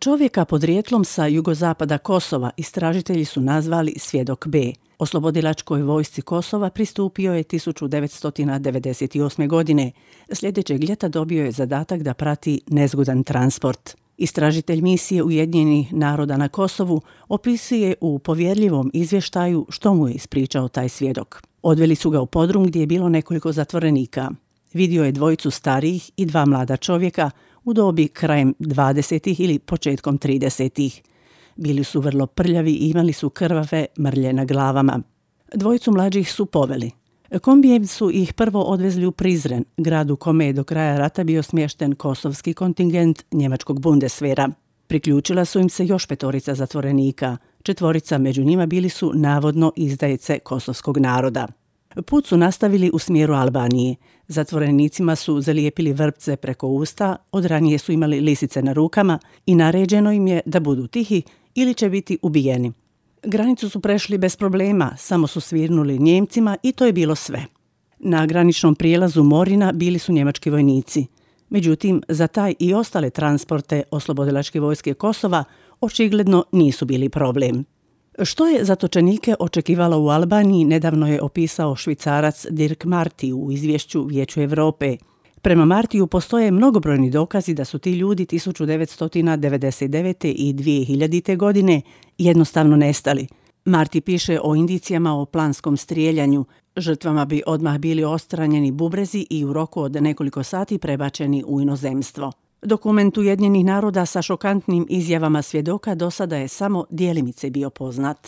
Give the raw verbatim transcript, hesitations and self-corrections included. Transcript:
Čovjeka podrijetlom sa jugozapada Kosova istražitelji su nazvali Svjedok B. Oslobodilačkoj vojsci Kosova pristupio je tisuću devetsto devedeset osme. godine. Sljedećeg ljeta dobio je zadatak da prati nezgodan transport. Istražitelj misije Ujedinjenih naroda na Kosovu opisuje u povjerljivom izvještaju što mu je ispričao taj svjedok. Odveli su ga u podrum gdje je bilo nekoliko zatvorenika. Vidio je dvojicu starijih i dva mlada čovjeka u dobi krajem dvadesetih ili početkom tridesetih. Bili su vrlo prljavi i imali su krvave mrlje na glavama. Dvojicu mlađih su poveli. Kombijem su ih prvo odvezli u Prizren, grad u kome je do kraja rata bio smješten kosovski kontingent njemačkog Bundeswehra. Priključila su im se još petorica zatvorenika. Četvorica među njima bili su navodno izdajice kosovskog naroda. Put su nastavili u smjeru Albanije. Zatvorenicima su zalijepili vrpce preko usta, od ranije su imali lisice na rukama i naređeno im je da budu tihi ili će biti ubijeni. Granicu su prešli bez problema, samo su svirnuli Njemcima i to je bilo sve. Na graničnom prijelazu Morina bili su njemački vojnici. Međutim, za taj i ostale transporte oslobodilačke vojske Kosova očigledno nisu bili problem. Što je zatočenike očekivalo u Albaniji, nedavno je opisao Švicarac Dirk Marty u izvješću Vijeću Europe. Prema Martiju postoje mnogobrojni dokazi da su ti ljudi tisuću devetsto devedeset devete. i dvije hiljadite. godine jednostavno nestali. Marty piše o indicijama o planskom strijeljanju. Žrtvama bi odmah bili odstranjeni bubrezi i u roku od nekoliko sati prebačeni u inozemstvo. Dokument Ujedinjenih naroda sa šokantnim izjavama svjedoka do sada je samo djelimice bio poznat.